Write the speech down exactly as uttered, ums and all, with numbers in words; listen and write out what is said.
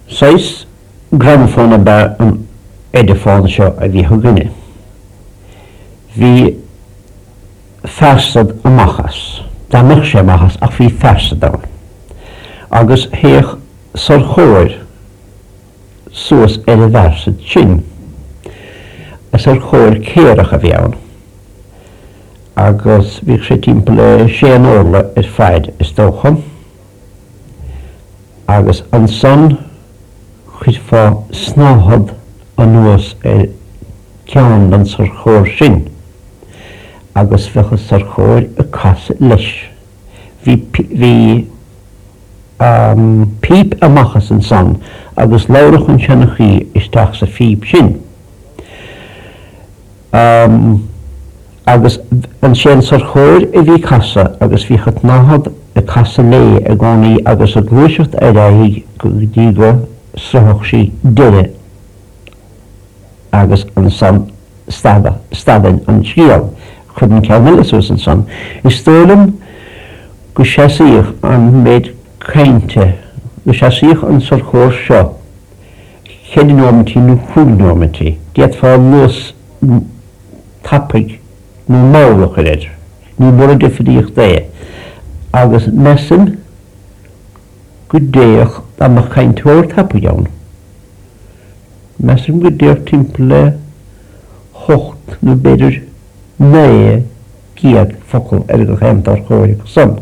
Saghas gramafón ab ea an Ediphone seo a bhíodh againne. Bhí fearsad amach as. Dá mbeadh sé amach as ach bhí fearsad ann. Agus théadh sorcóir suas ar an bhfearsad sin. Sorcóir céarach a bhí ann. Agus bhíodh sé timpeall le sé orla ar fad is dócha. Agus ansan chuirfeá snáthaid anuas ar ceann den sorcóir sin. Agus bheadh an sorcóir ag casadh leis. Bhí bhí um, píp amach as ansan agus labhradh an seanchaí isteach sa phíp sin. Um, agus ansin an sorcóir a bhí ag casadh agus bhí an tsnáthaid ag casadh léi i gcónaí agus ag gluaiseacht ar aghaidh go dtí go sroichfeadh sí deireadh agus ansan stadann an scéal. Chuir an ceann eile suas ansan. Is dóigh liom go seasaíodh an méid cainte, go seasaíodh an sorcóir seo ceithre nóiméidí nó cúig nóiméidí. D'fhéadfá luas tapaidh nó mall a chur air. Ní mór an difríocht é. Agus measaim go dtéadh dá mbeadh cainteoir tapaidh ann. Measaim go dtéadh timpeall le hocht nó b'fhéidir naoi gcéad focal ar gach aon tsorcóir acu san.